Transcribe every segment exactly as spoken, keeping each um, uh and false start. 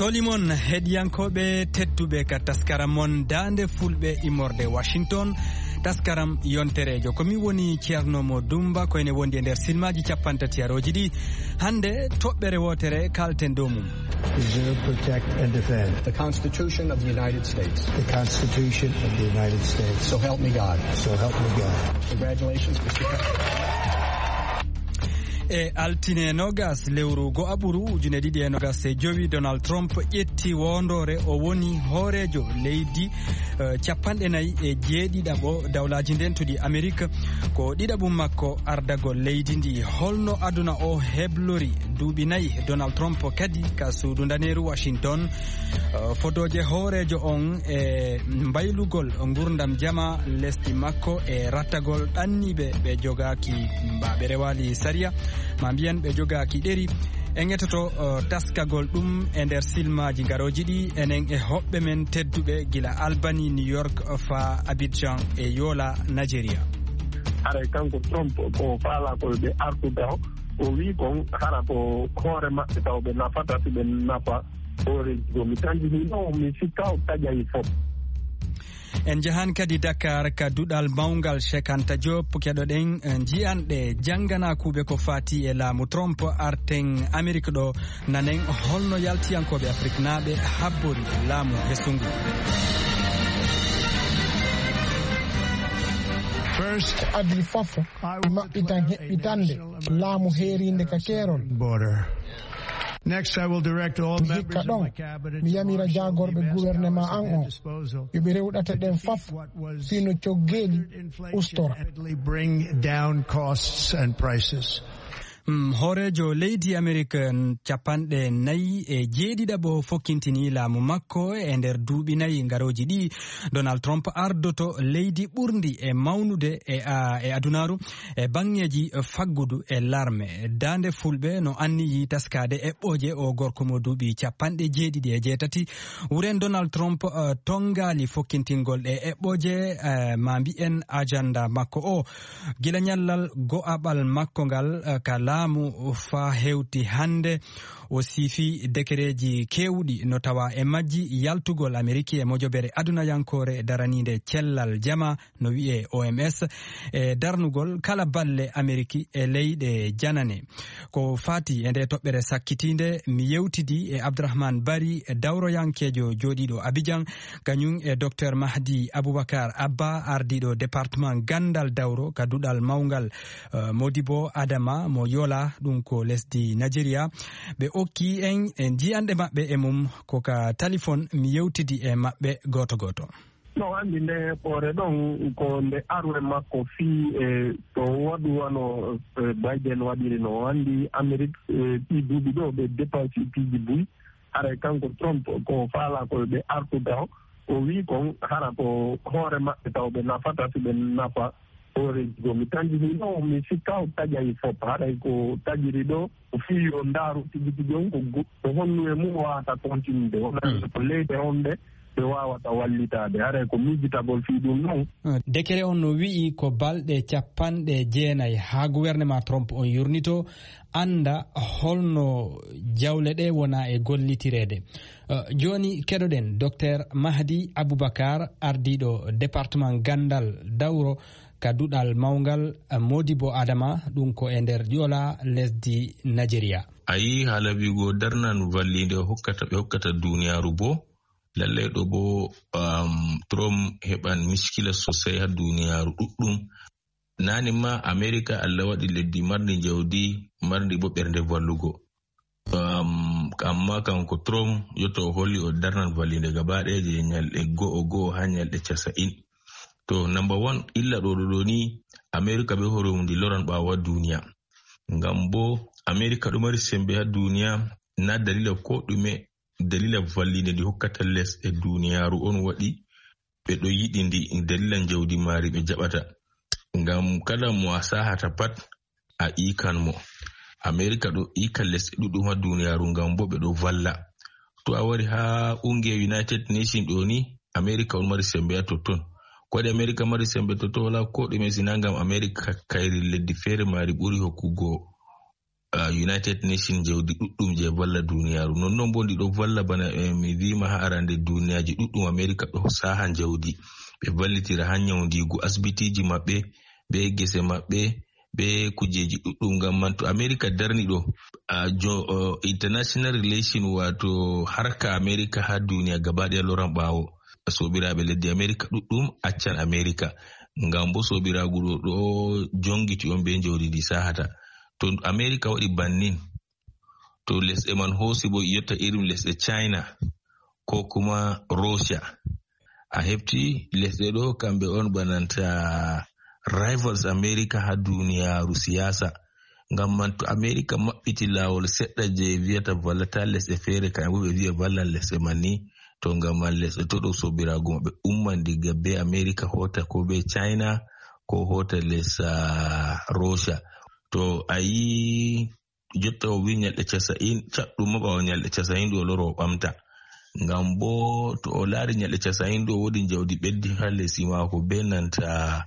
Toli mon heɗiyankooɓe tedduɓe ka taskaram mon Daande Fulɓe immorde Washington. Taskaram yontereejo. Ko mi woni Ceerno Mo Dumba, ko ene wondi e nder silmaaji cappanɗe tati arooji ɗi. Hannde, toɓɓere wootere kalten dow mum. Preserve, protect, and defend the Constitution of the United States. The Constitution of the United States. So help me God. So help me God. Congratulations, Mister President. E altine nogas lewru go'aɓuru ujune ɗiɗi e nogas e jowi, Donald Trump ƴetti wondoore. O woni hooreejo leydi, eh, cappanɗe nayi e jeeɗiɗaɓo dawlaaji ndentuɗi Amerik. Ko ɗiɗaɓum makko ardagol leydi ndi. Holno aduna o heblori duuɓi nayi Donald Trump kadi ka suudu ndaneeru Washington? Eh, fodooje hooreejo on e mbaylugol ngurdam jama lesdi makko e rattagol ɗanniiɓe ɓe jogaaki, mba ɓe rewaali sariya, ma mbiyen ɓe jogaaki ɗeri. En etoto, eh, taskagol ɗum e nder silmaaji garooji ɗi, enen e hoɓɓe men tedduɓe gila Albany, New York, faa Abidjan e Yola, Nigeria. Haray kanko Trump ko faalaa ko ɓe artu taho, o wii kon hara ko hoore maɓɓe taw ɓe nafata, si ɓe nafa hooreeji goo. Mi tanjinii ɗoo, mi sikka o taƴay fof. En njahan kadi Dakar ka duɗal mawngal Cheikh Anta Diop, keɗoɗen, eh, njiyanɗe jannganaakuuɓe ko faati e laamu Trump. Arten Amerik ɗo, nanen holno yaltiyankooɓe Afriknaaɓe habbori laamu hesungu. First, adii fof, I will maɓɓitan heɓɓitande laamu heeriinde ka keerol. Border. Next, I will direct all mi members hikka of ɗon, my cabinet mi yamira jaagorɓe gouvernement an on, yo ɓe rewɗate ɗen fof, fino coggeeli ustora. Bring down costs and prices. Mm, hooreejo leydi Amerik, mm, cappanɗe nayi e jeeɗiɗaɓo fokkintini laamu makko e nder duuɓi nayi ngarooji ɗi. Donald Trump ardoto leydi ɓurndi e mawnude e, a, e adunaaru e baŋŋeeji faggudu e larme. Daande Fulɓe no anniyi taskaade eɓɓooje o gorko mo duuɓi cappanɗe jeeɗiɗi e jeetati. Wuren Donald Trump, eh, tonngaali fokkintingol ɗe eɓɓooje, eh, ma mbi'en ajanda makko o. Gila ñallal go'aɓal makko ngal, eh, ka laamu faa hewti hannde, o siifi dekereeji keewɗi no tawa e majji yaltugol Ameriki e mojobere adunayankoore daraniinde cellal jama, no wi'ee O M S, e darnugol kala balle Ameriki e leyɗe janane. Ko faati e nde toɓɓere sakkitiinde, mi yewtidi e Abdourahmane Bari, dawroyankeejo jooɗiiɗo Abidjan, kañum e Docteur Mahdi Aboubacar Abba, ardiiɗo département ganndal dawro ka duɗal mawngal, eh, Modibo Adama mo Yola, ɗum ko lesdi Nigeria. Ɓe okki en e njiyanɗe maɓɓe e mum, ko ka talifon mi yewtidi e maɓɓe gooto gooto. No anndi nde hoore ɗon ko nde arwe makko fii e to waɗu wano, eh, Biden waɗiri no. O anndi Amerik, eh, ɗii duuɓi ɗo ɓe dépense piiji buy. Haray kanko Trump ko faalaa ko ɓe artu taho. O wii kon hara ko hoore maɓɓe taw ɓe nafata si ɓe nafa hooreeji goo. Mi tanjinii ɗo, mi sikka o taƴay fof. Haray ko taƴiri ɗo, ko fii yo ndaaru tigi tigi on ko go-, ko honno e mum o waawata continude. Wona ko leyɗe on ɗe ɓe waawata wallitaade. Haray ko miijitagol fii ɗum non. Dekere on no wi'i ko balɗe cappanɗe jeenay haa gouvernement Trump on yurnitoo, annda holno jawle ɗe wona e gollitireede. Eh, jooni keɗoɗen Docteur Mahdi Aboubacar, ardiiɗo département ganndal dawro ka duɗal mawngal, eh, Modibo Adama, ɗum ko e nder Ƴoola lesdi Nigeria. A yii haala wi'ugo darnan valliinde hokkata, ɓe hokkata duniyaaru boo. Lallay ɗo boo, um, Trump heɓan miskila sosay haa duniyaaru ɗuɗɗum. Naane ma Amerika, Allah waɗi leddi marndi jawdi, marndi boo ɓernde vallugo. Um, amma kanko Trump, yotto o holli o darnan valliinde gaba ɗaya je ñalɗe go'o go'o haa ñalɗe casa'in. To, number one, illa ɗo, ɗo, ɗo ni, Amerika bee hoore mum ndi loran ɓaawo haa duniya. Ngam boo Amerika ɗo mari sembe haa duniya, na dalila ko ɗume, dalila valliinde ndi hokkata lesɗe duniyaaru on waɗi ɓe ɗo yiɗi ndi, dalila jawdi maari ɓe jaɓata. Ngam kala mo a sahata pat, a iikan mo. Amerika ɗo iika lesɗe ɗuɗɗum haa duniyaaru ngam boo ɓe ɗo valla. To a wari haa unge United Nation ɗo ni, America on mari sembe haa totton. Ko waɗi America mari sembe totton? Wala ko ɗume, sina ngam America kayri leddi feere mari ɓuri hokkugo, ah, United Nation jawdi ɗuɗɗum je valla duniyaaru. Nonnon bo ndi ɗo valla bana, eh, mi vima haa arande duniyaaji ɗuɗɗum America ɗo saha jawdi. Ɓe vallitira haa nyawndiigu asibitiiji maɓɓe, be gese maɓɓe, be kujeji ɗuɗɗum. Ngam man to America darni ɗo, ah, jo-, oh, international relation, wato harka America haa duniya gaba ɗaya loran ɓaawo. Soobiraaɓe leddi America ɗuɗɗum accan America. Ngam bo soobiraagu ɗo, ɗo jongiti on be jawdi ndi sahata. To America waɗi bannin, to lesɗe man hoosi bo yotta irin lesɗe China ko kuma Russia. A hefti lesɗe ɗo kamɓe on bananta rivals America haa duniyaaru siyasa. Ngam man to America maɓɓiti laawol seɗɗa je viyata vallata lesɗe feere, kamɓe bo ɓe viya vallan lesɗe man ni, to ngam man lesɗe to ɗo soobiraagu maɓɓe umman diga be America hoota ko be China ko hoota les, ah, Russia. To a yi jotta o wi nyalɗe casa'in, caɗɗum ma ɓaawo nyalɗe casa'in ɗo o loro o ɓamta. Ngam bo to o laari nyalɗe casa'in ɗo woodi jawdi ɓeddi haa lesi maako be nanta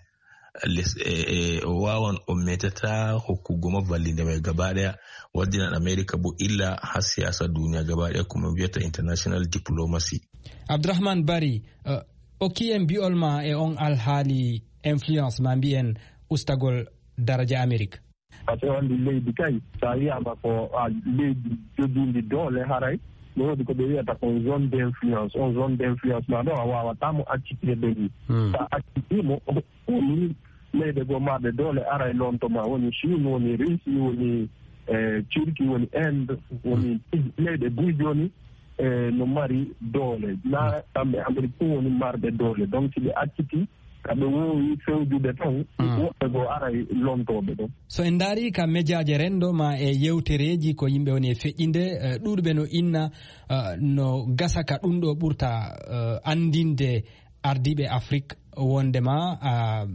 les, e, e, o wawan o metata hokkugo ma vallinde mai gaba ɗaya. Waddinan America bo illa haa siyasa duniya gaba ɗaya, ko min viyata international diplomacy. Abdourahmane Bari, eh, okki en bi'ol ma e on alhaali influence ma mbi'en ustagol daraja America. Parce que on leydi kay, so a wiyama ko, ah, leydi jogiindi doole haray, no woodi ko ɓe wiyata ko zone d'influence. On zone d'influence ma ɗo, a wawata mo accitde ni. Hmm. Sa acciti mo, woni leyɗe goo marɗe doole aray lonto ma, woni Chine, woni Russie, woni, eh, Turquie, woni Inde, woni leyɗe buy jooni, eh, no mari doole. Na kamɓe Amérique fof woni marɓe doole. Donc, si ɓe acciti, ka ɓe woowi fewjude tan, woɓɓe goo aray lontooɓe ɗon. So en ndaari ka mejaaje renndo ma e yewtereeji ko yimɓe woni e feƴƴinde, eh, ɗuuɗuɓe no inna, eh, no gasa ka ɗum ɗo ɓurta, eh, anndinde ardiiɓe Afrik wondema, ah,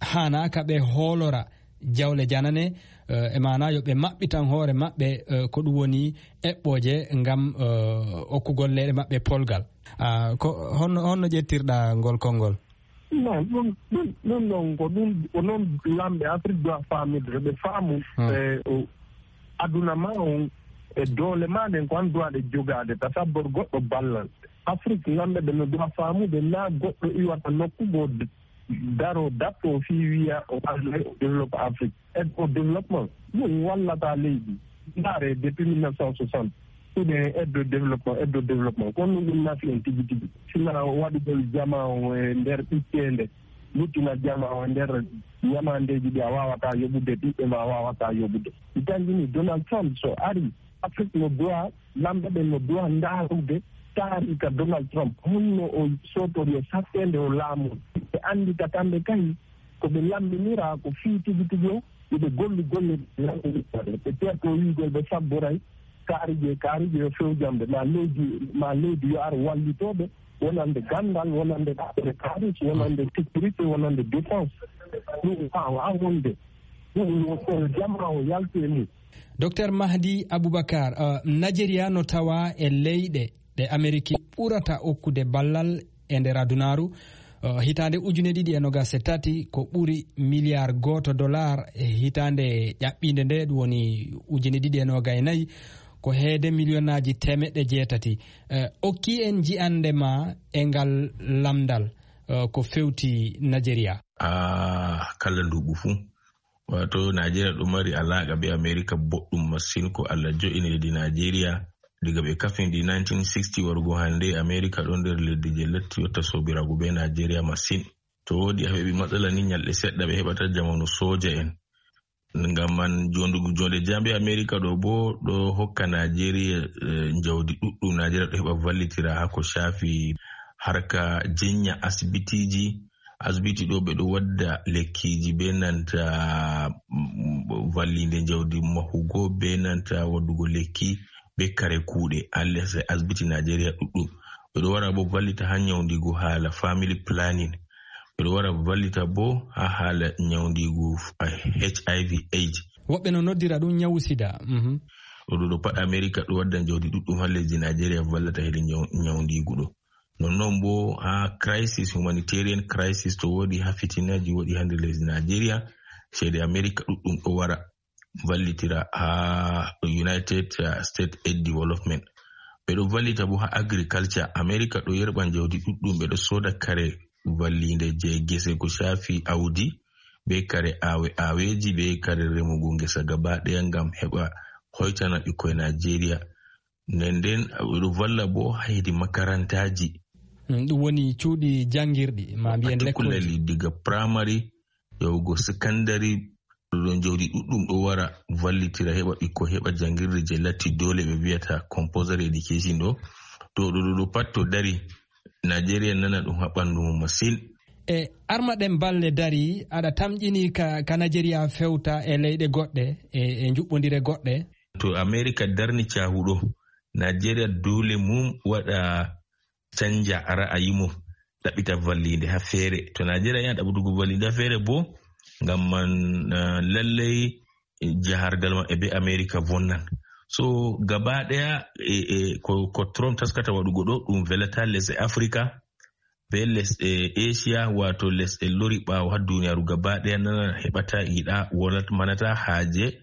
haanaaka ɓe hoolora jawle janane, eh, e maana yo ɓe maɓɓitan hoore maɓɓe, eh, ko ɗum woni eɓɓooje ngam, eh, okkugol leyɗe maɓɓe polgal. Ah, ko honno, honno ƴettirɗa ngol konngol? Non, ɗum, ɗum, ɗum noon ko ɗum, ko noon lamɓe Afrik doit faamude, ɓe faamu, hmm, eh, o, aduna ma on, e doole ma ɗen ko an doit ɗe jogaade, ta sabbor goɗɗo ballal. Afrik, lamɓe ɓe no doit faamude, na goɗɗo iwata nokku goo d-, daro datto fii wiya o wallay o développe Afrik. Aide au développement, ɗum wallata leydi. Ndaare, depuis mille neuf cent soixante, hiɗen aide au développement, aide au développement. Kono ɗum nafi en tigi tigi. Sina waɗugol jama o e nder ɓitteende, luttina jama o e nder ñamaandeeji ɗi a waawata yoɓude, ɓiɓɓe ma a waawata yoɓude. Mi tanjini Donald Trump so ari, Afrik no doit, lamɓe ɓen no doit ndaarude taariika Donald Trump. Honno o sootori e satteende o laamu. Ɓe anndi ka kamɓe kay, ko ɓe lammbinira ko fii tigi tigi o, yo ɓe gollu golle ɗe lammbinira. Ɓe teerto wiigol ɓe sabboray kaarije, kaarije yo fewjamɓe. Ma leydi, ma leydi yo ar wallitooɓe, wonande ganndal, wonande ɗaɓɓere kaalis, wonande sécurité, wonande défense. Ɗum waawa wonde. Ɗum yo ko jama o yaltu e mum. Docteur Mahdi Aboubacar, uh, Nigeria no tawa e leyɗe ɗe Ameriki ɓurata okkude ballal e nder adunaaru. Uh, hitaande ujune ɗiɗi e nogas e tati ko ɓuri miliyar gooto dollar, e hitaande ƴaɓɓiinde nde, ɗum woni ujune ɗiɗi e nogas e nayi, ko heede miliyonaaji teemeɗɗe jeetati. Uh, okki en ji'ande ma e ngal lamndal, uh, ko fewti Nigeria. Ah, kala nduuɓu fuu. Wato, Najeriya ɗo mari alaaqa be Amerika boɗɗum masin. Ko Allah jo'ini leydi Najeriya. Diga ɓe kafindi nineteen sixty warugo hande, Amerika ɗon nder leddi je latti yotta sobiraagu be Najeriya masin. To woodi a heɓi matsala ni, nyalɗe seɗɗa ɓe heɓata jamanu soja en. Ngam man, jondugu jonde jambe Amerika ɗo bo ɗo hokka Najeriya, eh, njawdi ɗuɗɗum. Najeriya ɗo heɓa vallitira ha ko shafi harka jinya asibitiji. Asibiti ɗo ɓe ɗo wadda lekkiji be nanta, mm, vallinde njawdi mahugo be nanta waddugo lekki be kare kuuɗe. Alle se asibiti Najeriya ɗuɗɗum. Ɓe ɗo wara bo vallita ha nyawndigu hala family planning. Ɓe ɗo wara vallita bo ha hala nyawndigu, eh, H I V AIDS. Woɓɓe no noddira ɗum nyawu sida. Mhm. Ɗo ɗo ɗo pat Amerika ɗo wadda jawdi ɗuɗɗum haa lesdi Najeriya vallata hedi nyaw-, nyawndiigu ɗo. Nonnon bo haa crisis, humanitarian crisis, to woodi haa fitinaaji woodi haa nder lesdi Najeriya, ceede Amerika ɗuɗɗum ɗo wara vallitira haa United, uh, States Aid Development. Ɓe ɗo vallita bo haa agriculture. Amerika ɗo yerɓa jawdi ɗuɗɗum, ɓe ɗo sooda kare valliinde je gese ko shaafi awdi, be kare aawe-, aaweeji, be kare remugo ngesa gaba ɗaya ngam heɓa hoytana ɓikkoy Najeriya. Nden nden, ɓe ɗo valla bo haa hedi makarantaaji. Mm, ɗum woni cuuɗi janngirɗi, ma mbiyen particularly lekkolji. Diga primary yahugo secondary, ɗo ɗon jawdi ɗuɗɗum ɗo wara vallitira heɓa ɓikkoy heɓa janngirde je latti doole ɓe mbiyata compulsory education ɗo. To ɗo, ɗo, ɗo pat to dari, Najeriya nana ɗum haa ɓandu mum masin. E armaɗen balle dari, aɗa tamƴini ka, ka Najeriya fewta e leyɗe goɗɗe, e, e njuɓɓondire goɗɗe? To Amerika darni caahu ɗo, Najeriya doole mum waɗa canja ra'ayi mum, ɗaɓɓita valliinde haa feere. To Najeriya yiɗi ɗaɓɓutugo valliinde haa feere bo, ngam man, eh, lallay, eh, jahargal maɓɓe be Amerika vonnan. So, gaba ɗaya, eh, eh, ko, ko Trump taskata waɗugo ɗo, ɗum velata lesɗe Afrika, be lesɗe Asia, wato lesɗe lori ɓaawo haa duniyaaru gaba ɗaya nana heɓata, yiɗa, wonat-, manata haaje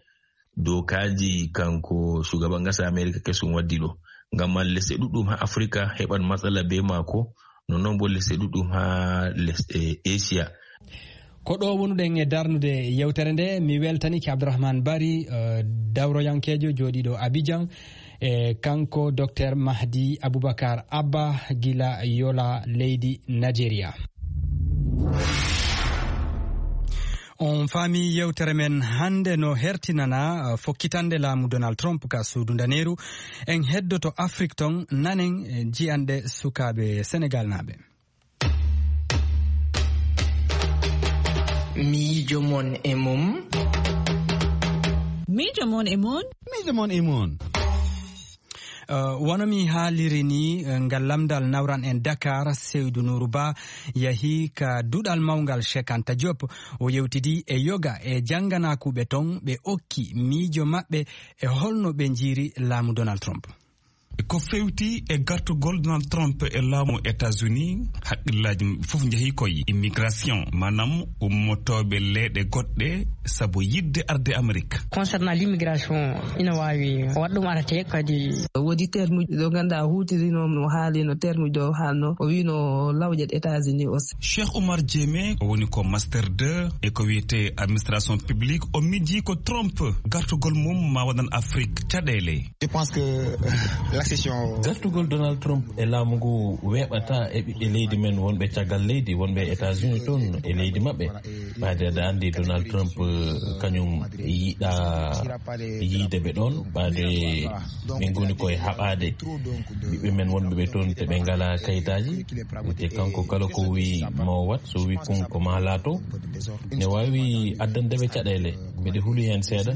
dookaaji kanko shugaban ƙasa Amerika kesum waddi ɗo. Ngam man lesɗe ɗuɗɗum haa Afrika heɓan matsala be maako, nonnon bo lesɗe ɗuɗɗum haa lesɗe Asia. Ko ɗo wonuɗen e darnude yewtere nde, mi weltanike Abdourahmane Bari, eh, dawroyankeejo jooɗiiɗo Abidjan, e kanko Docteur Mahdi Aboubacar Abba gila Yola, leydi Nigeria. On faami yewtere men hannde no hertinana, uh, fokkitande laamu Donald Trump ka suudu ndaneeru. En heddoto Afrik ton, nanen, eh, jiyanɗe sukaaɓe Senegal naaɓe. Miijo mon e mum. Miijo mon e mum. Miijo mon e mum. Uh, wano mi haaliri ni, uh, ngal lamndal nawran en Dakar, Seydou Nourou Ba yahi ka duɗal mawngal Cheikh Anta Diop. O yewtidi e yoga e jannganaakuɓe ton, ɓe okki miijo maɓɓe e holno ɓe njiiri laamu Donald Trump. Ko fewti e gartugol Donald Trump e laamu États-Unis, haqqillaaji fof njehi koye immigration, maanaam ummotooɓe leyɗe goɗɗe sabu yiɗde arde Amerik. Concernant l'immigration, ina waawi waɗ ɗum arate kadi. Woodi terme uji ɗo ngannduɗaa o huutirino, o haalino terme uji ɗo o haalno, o wiino lawƴat États-Unis aussi. Cheikh Oumar Diémé, o woni ko master deux e ko wiyetee administration publique. O miijii ko Trump gartugol mum ma waɗan Afrik caɗeele. Je pense que l'accession. Gartugol Donald Trump e laamu ngu weeɓata e ɓiɓɓe leydi men wonɓe caggal leydi, wonɓe États-Unis toon e leydi maɓɓe. Ɓaade aɗa anndi Donald Trump, eh, kañum yiɗa yiide ɓe ɗoon, ɓaade ɓe ngoni koye haɓaade ɓiɓɓe men wonɓe ɓe toon te ɓe ngalaa kayitaaji. Te kanko kala ko wii ma o waɗ, so wii kun ko ma laato, ne waawi addande ɓe caɗeele. Mbeɗe huli heen seeɗa.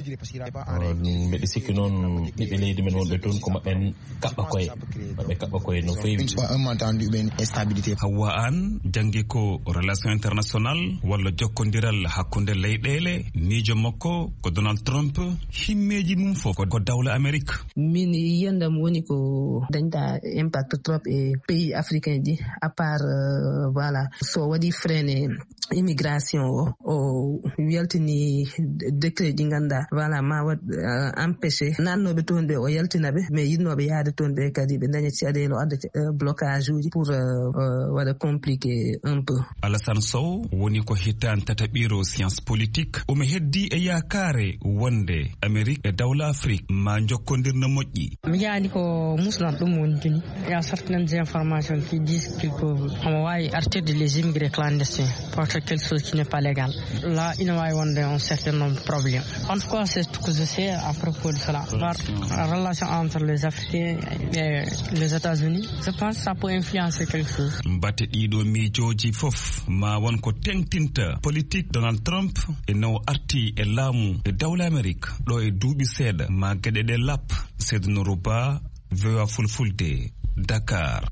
Mbeɗe sikki noon ɓiɓɓe leydi men wonɓe toon ko maɓɓe kaɓɓa koye, maɓɓe kaɓɓa koye no feewi. Une fois un malentendu ou bien une instabilité. Hawwa Aan janngi ko relation international walla jokkondiral hakkunde leyɗeele. Miijo makko ko Donald Trump, himmeeji mum fof ko, ko dawla Amerik. Min yiyandam woni ko dañta impact trop e pays africain ji, à part, euh, voilà, so waɗi freiné immigration o, o yaltini décret ji ngannduɗaa, voilà, ma waɗ, euh, empêché naatnooɓe toon ɓe, o yaltina ɓe, mais yiɗnooɓe yahde toon ɓe kadi ɓe daña caɗeele, o adda, euh, blocage uji pour, euh, euh, waɗa compliqué un peu. Alassane Sow woni ko hittaan tataɓiiro science politique. Omo heddi e yaakaare wonde Amerik e dawla Afrik ma njokkondir no moƴƴi. Mi yiyaani ko muslan ɗum woni tini. Il y a certaines informations qui disent qu'ils peuvent, omo waawi artirde les immigrés clandestins, porter quelque chose qui n'est pas légal. Là, ina waawi wonde un certain nombre de problèmes. En tout cas, c'est tout ce que je sais à propos de cela. La relation entre les Africains et les États-Unis, je pense que ça peut influencer quelque chose. Mbate ɗiɗo miijooji fof ma won ko teŋtinta politique Donald Trump e no o arti e laamu e dawla Amerik ɗo e duuɓi seeɗa ma geɗe ɗe lap. Seydou Nourou Ba, V O A Fulfulde, Dakar.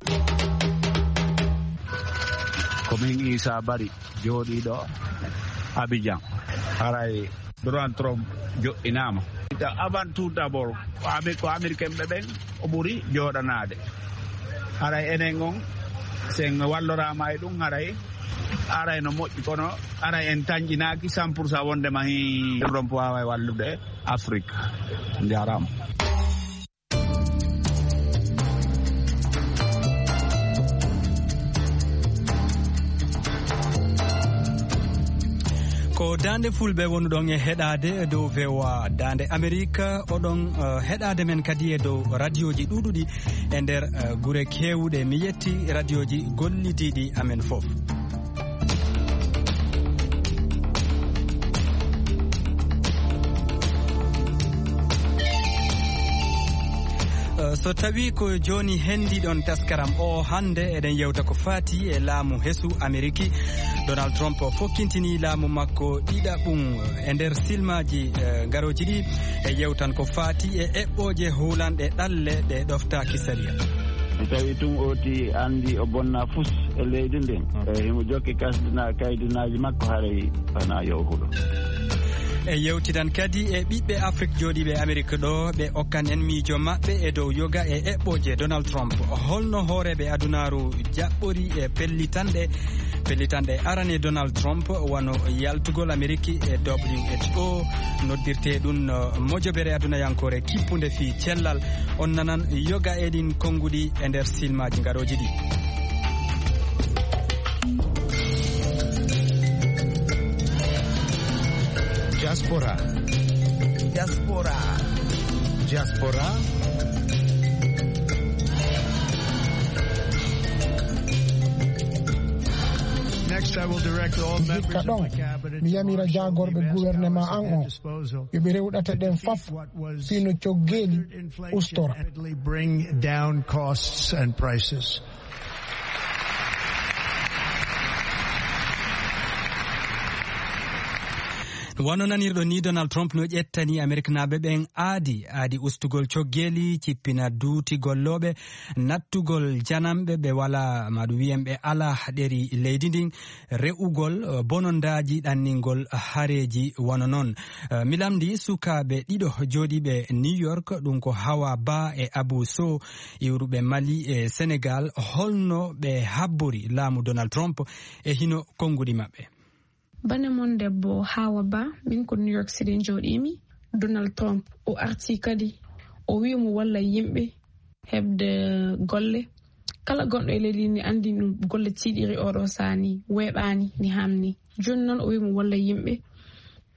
Ko min Issa Bari, jooɗiiɗo Abidjan. Haray Donald Trump joɗɗinaama. Avant tout d'abord, ko Amer- ko Américain ɓe ɓen o ɓuri jooɗanaade. Haray enen on, sen walloraama e ɗum, haray aray no moƴƴi, kono aray en tanƴinaaki cent pour cent wonde ma hi Trump waaway wallude Afrique. Njaaraama. Ko Daande Fulɓe wonuɗon e heɗaade dow V O A Daande Amerik. Oɗon, eh, heɗaade men kadi e dow radioji ɗuuɗuɗi e nder, eh, gure keewuɗe. Mi yetti radioji gollidiiɗi amen fof. Eh, so tawi ko jooni hendiɗon taskaram o hannde, eɗen yewta ko faati e laamu hesu Ameriki. Donald Trump fokkintini laamu makko ɗiɗaɓum e nder silmaaji, eh, garooji ɗi. E yewtan ko faati e eɓɓooje huulanɗe ɗalle ɗe ɗoftaaki sariya. Si tawi tun ooti anndi o bonna fus e leydi ndin, e himo jokki kasdina-, kaydinaaji makko, haray fana yo huɗo. E yewtidan kadi e ɓiɓɓe Afrik jooɗiiɓe Amerik ɗo, ɓe okkan en miijo maɓɓe e dow yoga e eɓɓooje Donald Trump. Holno hooreeɓe adunaaru jaɓɓori e pellitanɗe, pellitanɗe arane Donald Trump, wano yaltugol Ameriki e W H O, noddirte ɗum, uh, mojobere adunayankore kippunde fii cellal. On nanan yoga e ɗin konnguɗi e nder silmaaji ngarooji ɗi. Diaspora. Diaspora. Diaspora. Next, I will direct all members of my cabinet to marshal the advance powers at their disposal. Mi hikka ɗon, mi yamira jaagorɓe gouvernement an on, yo ɓe rewɗata ɗen faf, fii no coggeeli ustora. Bring down costs and prices. Wano nanirɗo ni, Donald Trump no ƴettani Ameriknaaɓe ɓen aadi, aadi ustugol coggeeli, cippina duuti gollooɓe, nattugol janamɓe ɓe walaa, maɗum wiyen ɓe alaa ɗeri leydi ndin, re'ugol, eh, bonondaaji ɗanningol hareeji wano non. Eh, mi lamndi sukaaɓe ɗiɗo jooɗiiɓe New York, ɗum ko Hawa Ba e Abu Sow, iwruɓe Mali e Senegal, holno ɓe habbori laamu Donald Trump e hino konnguɗi maɓɓe. Bane mon debbo Hawa Ba, min ko New York City njooɗiimi. Donald Trump, o arti kadi, o wi'i mo walla yimɓe heɓde golle. Kala gonɗo e leydi ni anndi no golle tiiɗiri oɗo saani, weeɓaani, ni hamni. Jooni noon o wi'i mo walla yimɓe.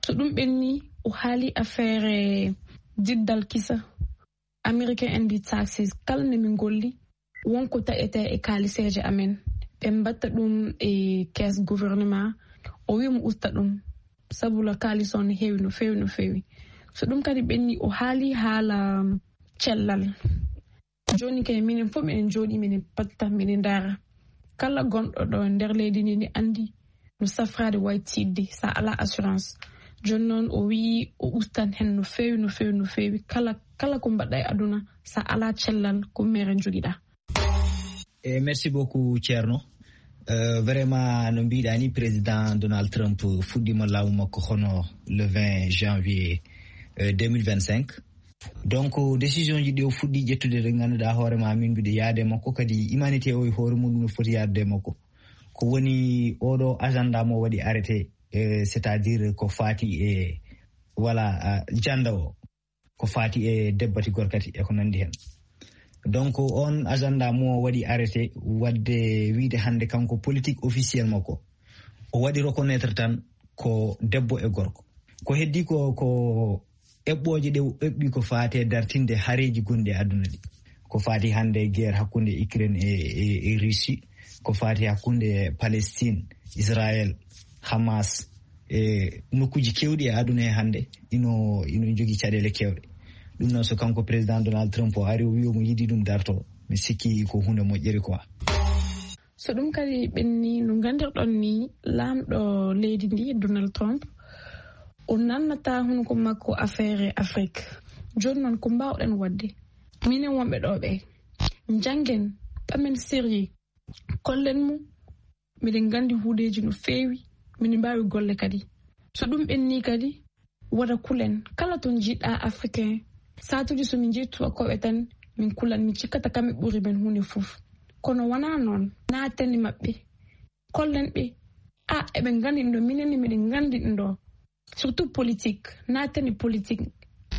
So ɗum ɓenni, o haali affaire diddal kisa. Américain en mbi taxes, kala nde min ngolli, won ko taƴetee e kaaliseeje amen. Ɓe mbatta ɗum e caisse gouvernement. O wi'i mo usta ɗum, sabu la kaalis on heewi no feewi, no feewi. So ɗum kadi ɓenni, o haali haala cellal. Jooni kay, minen fof miɗen njooɗii, miɗen patta, miɗen ndaara. Kala gonɗo ɗo nder leydi ndi, ndi anndi no safraade wayi tiiɗde, so a alaa assurance. Jooni noon, o wi'i o ustan heen no feewi, no feewi, no feewi. Kala, kala ko mbaɗɗa e aduna, so a alaa cellal, ko mere njogiɗaa. E merci beaucoup, Ceerno. Euh, vraiment, no mbiɗa ni, président Donald Trump fuɗɗima laamu makko hono le vingt janvier, euh, deux mille vingt-cinq. Donc, décision ji ɗi o fuɗɗi ƴettude, ɗe ngannduɗaa hoore ma, min mbiɗo yaade makko, kadi humanité o e hoore mum no foti yaade makko. Ko woni oɗo agenda mo waɗi arrêté, euh, c'est-à-dire ko faati e, voilà, euh, janda o, ko faati e debbati gorkati e ko nandi hen. Donc, on agenda mo waɗi arrêté, wadde wiide hannde kanko politique officiel makko, o waɗi reconnaître tan ko debbo e gorko. Ko heddi ko, ko eɓɓooje ɗe o eɓɓi ko faati e dartinde hareeji gonɗi e aduna ɗi. Ko faati hannde guerre hakkunde Ukraine e, e, e Russie, ko faati hakkunde Palestine, Israël, Hamas, e nokkuuji keewɗi e aduna he hannde, ino, ino jogii caɗeele keewɗe. Ɗum noon, so kanko président Donald Trump o ari, o wi'i omo yiɗi ɗum darto, mi sikki ko huunde moƴƴere quoi. So ɗum kadi ɓenni, no nganndirɗon ni, laamɗo leydi ndi, Donald Trump, o nannata hunuko makko affaire Afrique. Jooni noon, ko mbaawɗen waɗde? Minen wonɓe ɗo ɓe, njanngen, ɓamen sérieux, kollen mo, miɗen nganndi huudeeji no feewi, miɗen mbaawi golle kadi. So ɗum ɓenni kadi, Wota kulen, kala to njiɗɗaa Africain, saatuuji so min njehi tuubakooɓe tan, min kulan, min cikkata kamɓe ɓuri men huunde fof. Kono wonaa noon, naatani maɓɓe, kollen ɓe, a, eɓe nganndi ɗum ɗo, minen ne miɗen nganndi ɗum ɗo. Surtout politique, naatani politique,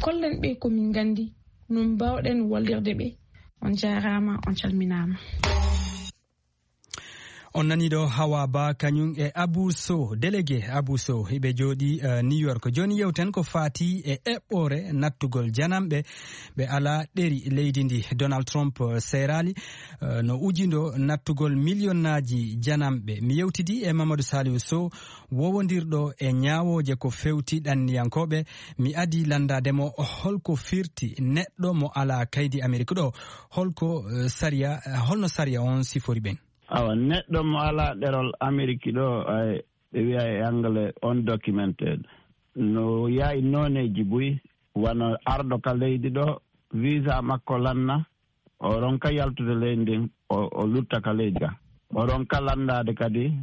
kollen ɓe ko min nganndi, no mbaawɗen wallirde ɓe. On njaaraama, on calminaama. On nani ɗo Hawa Ba kañum e Abou Sow, délégué Abou Sow, hiɓe jooɗi, eh, New York. Jooni yewten ko faati e eɓɓoore nattugol jananɓe ɓe alaa ɗeri leydi ndi. Donald Trump, eh, seeraali, eh, no ujindo nattugol miliyonnaaji jananɓe. Mi yewtidi e Mamadou Saliou Sow, wowondirɗo e ñaawooje ko fewti ɗanniyankooɓe. Mi adii lanndaade mo holko firti neɗɗo mo alaa kaydi Amerik ɗo. Holko, eh, sariya, eh, holno sariya on sifori ɓen? Awa, neɗɗo mo alaa ɗerol Ameriki ɗo, ay, ɓe wiya e Angle undocumented. No yahi nooneeji buy, wano arɗo ka leydi ɗo, visa makko lanna, o ronka yaltude leydi ndin, o, o lutta ka leydi ka. O ronka lanndaade kadi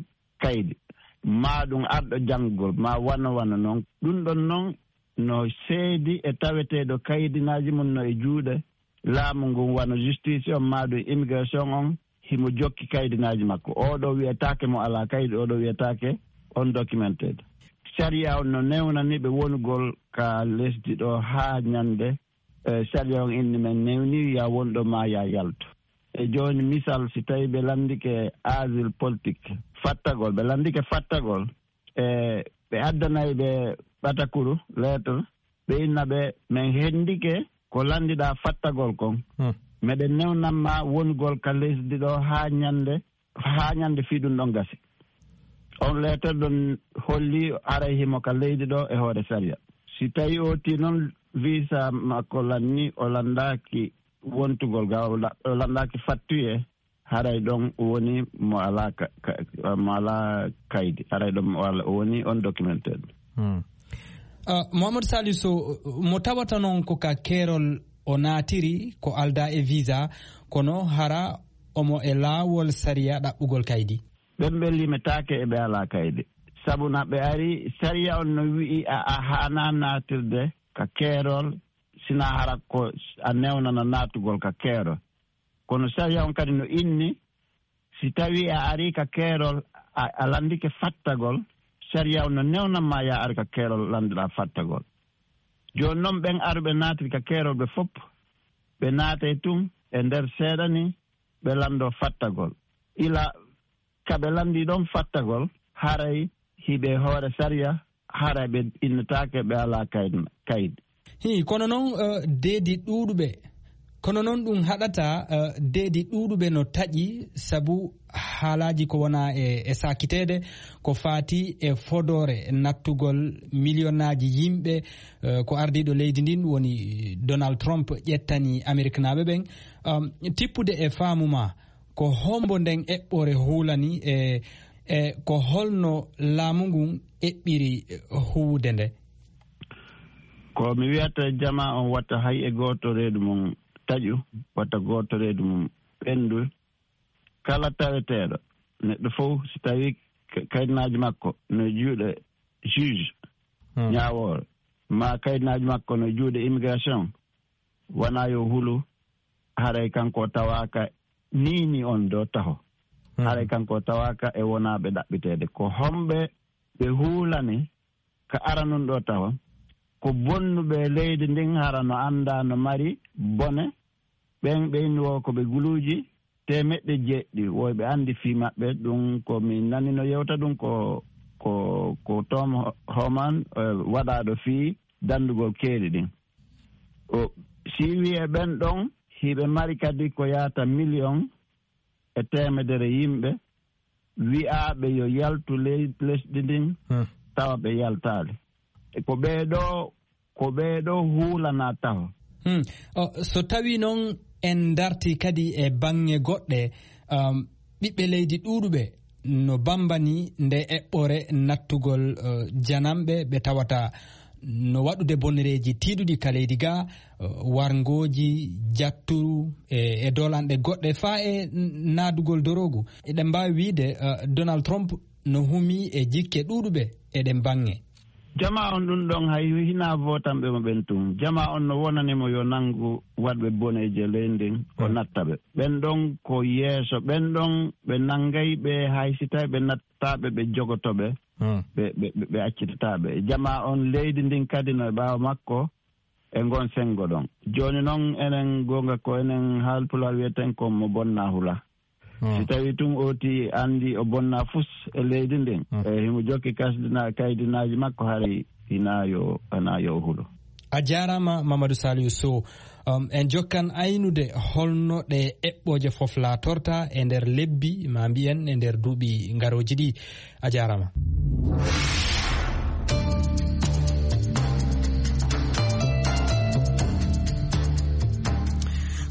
kaydi. Maa ɗum arɗo janngugol, maa wano wano non. Ɗum ɗon non no seedi e taweteeɗo kaydinaaji mum no e juuɗe laamu ngun, wano justice on maa ɗum immigration on, himo jokki kaydinaaji makko. Oo ɗoo wiyetaake mo alaa kaydi, oo ɗoo wiyetaake undocumented. Sariya on no newnani ɓe wonugol ka lesdi ɗoo haa ñande, eh, sariya on inni men newni, ya won ɗo maa ya yaltu. E jooni misal, si tawi ɓe lanndike asile politique, fattagol, ɓe lanndike fattagol, e ɓe addanay ɓe ɓatakuru, lettre, ɓe inna ɓe, men henndike ko lanndiɗaa fattagol kon. Hmm. Meɗen newnan ma wonugol ka lesdi ɗo haa ñande, haa ñande fii ɗum ɗon gasi. On lettre ɗon holli haray himo ka leydi ɗo e hoore sariya. Si tawi o ti non visa makko lanni, o lanndaaki wontugol ga, o la-, o lanndaaki fattuye, haray ɗon woni mo alaa ka, ka, mo alaa kaydi. Haray ɗon mo alaa, o woni undocumented. Hmm. Ah, Mouhamadou Saliou Sow, mo tawata noon ko ka keerol o naatiri, ko aldaa e visa, kono hara omo e laawol sariya ɗaɓɓugol kaydi. Ɓen ɓe limetaake e ɓe alaa kaydi. Sabu na ɓe ari, sariya on no wi'i a, a haanaa naatirde ka keerol, sina hara ko a newnana naatugol ka keerol. Kono sariya on kadi no inni, si tawi a ari ka keerol, a, a lanndike fattagol, sariya on no newnan ma ya ar ka keerol lanndoɗaa fattagol. Jooni non ɓen aruɓe naatiri ka keerol ɓe fop, ɓe naatay tun e nder seeɗa ni, ɓe lanndoo fattagol. Ila ka ɓe lanndii ɗon fattagol, haray hiɓe hoore sariya, haray ɓe innetaake ɓe alaa kayd-, kaydi. Hii, kono noon, eh, deedi ɗuuɗuɓe, kono noon ɗum haɗata, eh, deedi ɗuuɗuɓe no taƴi sabu haalaaji ko wona e, e saakiteede, ko faati e fodoore nattugol miliyonaaji yimɓe, eh, ko ardiiɗo leydi ndin woni Donald Trump ƴettani Ameriknaaɓe ɓen. Um, tippude e faamu ma, ko hombo nden eɓɓore huulani e, e ko holno laamu ngun eɓɓiri huuwude nde? Ko mi wiyata jama on wata hay e gooto reedu mum taƴu, wata gooto reedu mum ɓendu. Kala taweteeɗo, neɗɗo fof si tawi ka-, kaydinaaji makko no juuɗe juge, hmm, ñaawoore, ma kaydinaaji makko no juuɗe immigration, wona yo hulu, haray kanko tawaaka niini on ɗo taho. Mhm. Haray kanko tawaaka e wonaaɓe ɗaɓɓiteede. Ko homɓe ɓe huulani ka aranun ɗo taho? Ko bonnuɓe leydi ndin, hara no anndaa no mari bone. Ɓen ɓe inni wo ko ɓe guluuji teemeɗɗe jeeɗiɗi, woy ɓe anndi fii maɓɓe. Ɗum ko mi nanino yewta ɗum ko, ko, ko Tom Ho-, Homan, eh, waɗaaɗo fii danndugol keeri ɗin. O, si wi'e ɓen ɗon, hiɓe mari kadi ko yaata miliyon e teemedere yimɓe wi'aaɓe yo yaltu ley-, lesdi ndin, hmm, tawa ɓe yaltaali. E ko ɓee ɗoo, ko ɓee ɗoo huulanaa taho. Hmm. O, so tawii noon en dartii kadi e baŋŋe goɗɗe, um, ɓiɓɓe leydi ɗuuɗuɓe no bambani nde eɓɓore nattugol, eh, jananɓe ɓe tawata no waɗude bonnereeji tiiɗuɗi ka leydi ga, eh, warngooji, jatturu, e, e dolanɗe goɗɗe faa e n-, naadugol doroogu. Eɗen mbaawi wiide, eh, Donald Trump no humii e jikke ɗuuɗuɓe e ɗen baŋŋe. Jamaa on ɗum ɗon hay hinaa vootanɓe mo ɓen tun. Jamaa on no wonani mo yo nanngu waɗɓe boneeji e leydi ndin, o natta ɓe. Ɓen ɗon ko yeeso, ɓen ɗon ɓe nanngay ɓe hay si tawi ɓe nattataa ɓe, ɓe jogoto ɓe, ɓe, ɓe, ɓe, ɓe accitataa ɓe. Jamaa on leydi ndin kadi no e ɓaawo makko e ngon senngo ɗon. Jooni non enen goonga ko enen Haalpulaar wiyeten ko mo bonnaa hula. Si tawi tun ooti anndi o bonnaa fus e leydi ndin, e himo jokki kasdina-, kaydinaaji makko, haray hinaa yo, hinaa yo o hulo. A jaaraama, Mamadou Saliou Sow. Um, en jokkan aynude holno ɗe eɓɓooje fof laatorta e nder lebbi, ma mbiyen e nder duuɓi ngarooji ɗi. A jaaraama.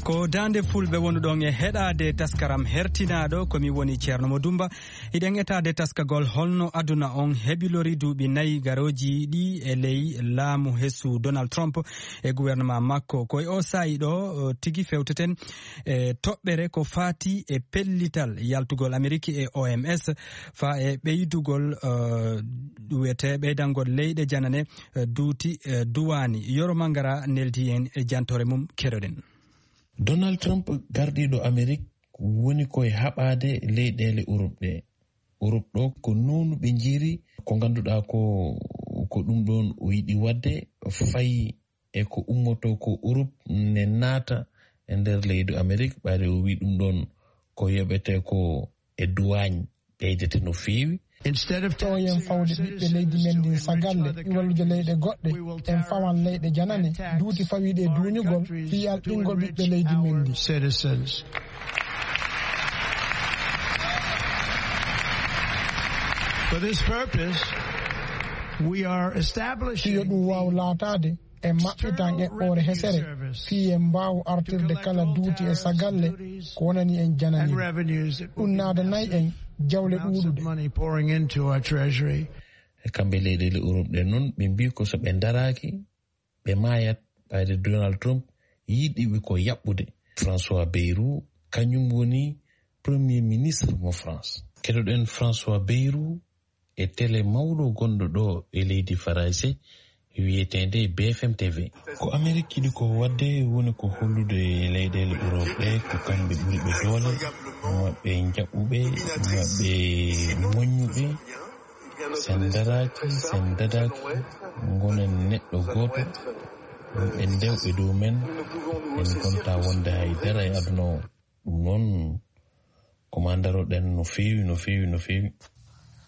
Ko Daande Fulɓe wonuɗon e heɗaade taskaram hertinaaɗo, ko mi woni Ceerno Mo Dumba. Hiɗen etaade taskagol holno aduna on hebilori duuɓi nayi garooji ɗi e ley laamu hesu Donald Trump e gouvernement makko. Ko e o saa'i ɗo, o, tigi fewteten e toɓɓere ko faati e pellital yaltugol Ameriki e O M S faa e ɓeydugol, eh, wiyetee ɓeydangol leyɗe janane, eh, duuti, eh, duwaani. Yoro Mangara neldi en e jantoore mum, keɗoɗen. Donald Trump, gardiiɗo Amerik, woni ko e haɓaade leyɗeele Urop ɗe. Urop ɗo ko nownu ɓe njiiri, ko ngannduɗaa ko, ko ɗum ɗoon o yiɗi waɗde, fayi e ko ummotoo ko Urop ne naata e nder leydi Amerik, ɓayde o wii ɗum ɗoon ko yoɓetee ko e duwaañ ɓeydete no feewi. Instead of taxing O M fawde ɓiɓɓe leydi men ndin sagalle, e wallude leyɗe goɗɗe, en fawan leyɗe janane, duuti fawiiɗe e duuñugol, fii alɗingol ɓiɓɓe leydi men ndin. Citizens. For this purpose, we are establishing Fii yo ɗum waaw laataade, en maɓɓitan eɓɓoore hesere, fii en mbaawu artirde kala duuti e sagalle ko wonani en janani. Ɗum naadanay en jawle ɗuuɗuɗe. Money pouring into our treasury. E kamɓe leyɗeele Urop ɗen non, ɓe mbii ko so ɓe ndaraaki, ɓe maayat, ɓayde Donald Trump yiɗi ɓe ko yaɓɓude. François Bayrou, kañum woni Premier Ministre mo France. Keɗoɗen François Bayrou e télé mawɗo gonɗo ɗo e leydi Farayse, wiyeteende B F M T V. Ko Amerik yiɗi ko waɗde woni ko hollude leyɗeele Urop ɗe ko kamɓe ɓuri ɓe doole, maɓɓe njaɓɓuɓe, maɓɓe moƴƴuɓe. Sen daraaki, sen dadaaki, ngonen neɗɗo gooto, ɓe ndew e dow men, en ngontaa wonde hay dara e aduna o. Ɗum noon, ko maa ndaroɗen no feewi, no feewi, no feewi.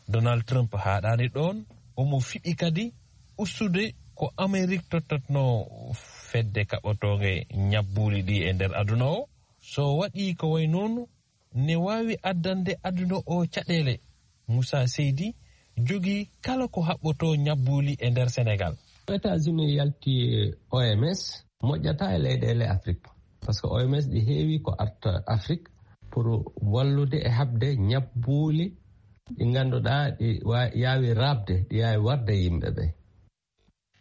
Donald Trump haaɗaani ɗoon, omo fiɓi kadi ustude ko Amerik tottatnoo fedde kaɓotoonge ñabbuuli ɗi e nder aduna o. So waɗii ko wayi noon, ne waawi addande aduna o caɗeele. Moussa Seydi jogii kala ko haɓɓotoo ñabbuuli e nder Senegaal. États-Unis yalti O M S, moƴƴataa e leyɗeele Afrik. Parce que O M S ɗi heewi ko arta Afrik pour wallude e haɓde ñabbuuli ɗi ngannduɗaa ɗi wa-, yaawi raɓde, ɗi yaawi warde yimɓe ɓe.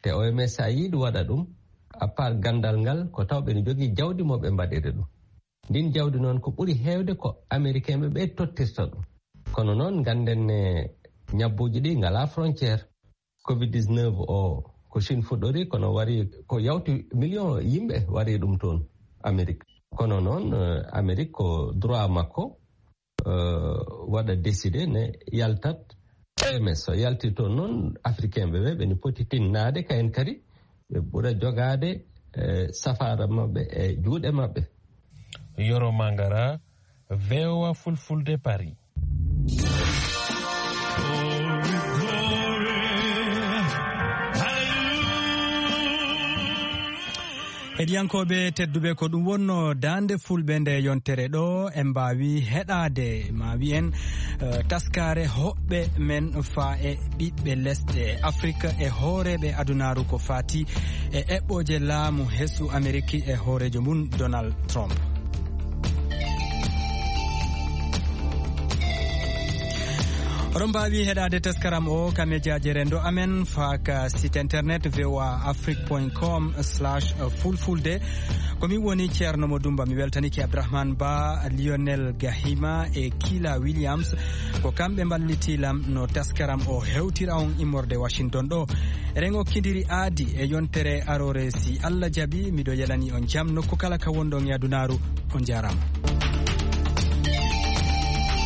Te O M S, so a yiɗi waɗa ɗum, à part ganndal ngal, ko taw ɓe ne njogii jawdi mo ɓe mbaɗiri ɗum. Ndin jawdi noon, ko ɓuri heewde ko Amerikeenɓe ɓe tottirta ɗum. Kono noon, ngannden ne, ñabbuuji ɗi ngalaa frontière. Covid dix-neuf o, ko Chine fuɗɗori, kono wari ko yawti million yimɓe wari ɗum toon Amerik. Kono noon, eh, Amerik ko droit makko, eh, waɗa décidé ne yaltat O M S. So yalti toon noon, Africain ɓe ɓe, ɓe ne poti tinnaade kayen kadi, ɓe ɓura jogaade, eh, safaara maɓɓe e juuɗe maɓɓe. Yoro Mangara, V O A Fulfulde, Paris. Heɗiyankooɓe tedduɓe, ko ɗum wonno Daande Fulɓe nde yontere ɗo. En mbaawi heɗaade, ma wiyen, eh, taskaare hoɓɓe men faa e ɓiɓɓe lesɗe Afrik e hooreeɓe adunaaru ko faati e eɓɓooje laamu hesu Ameriki e hooreejo mum Donald Trump. Oɗon mbaawi heɗaade taskaram o ka mejaaji renndo amen, faa ka site internet V O A Afrique point com slash fulfulde. Ko min woni Ceerno Mo Dumba, mi weltanike Abdourahmane Ba, Lionel Gahima e Kila Williams. Ko kamɓe mballiti lam no taskaram o hewtira on immorde Washington ɗo. Eɗen okkindiri aadi e yontere aroore, si Allah jaɓi. Miɗo yelani on jam nokku kala ka wonɗon e adunaaru. On njaaraama.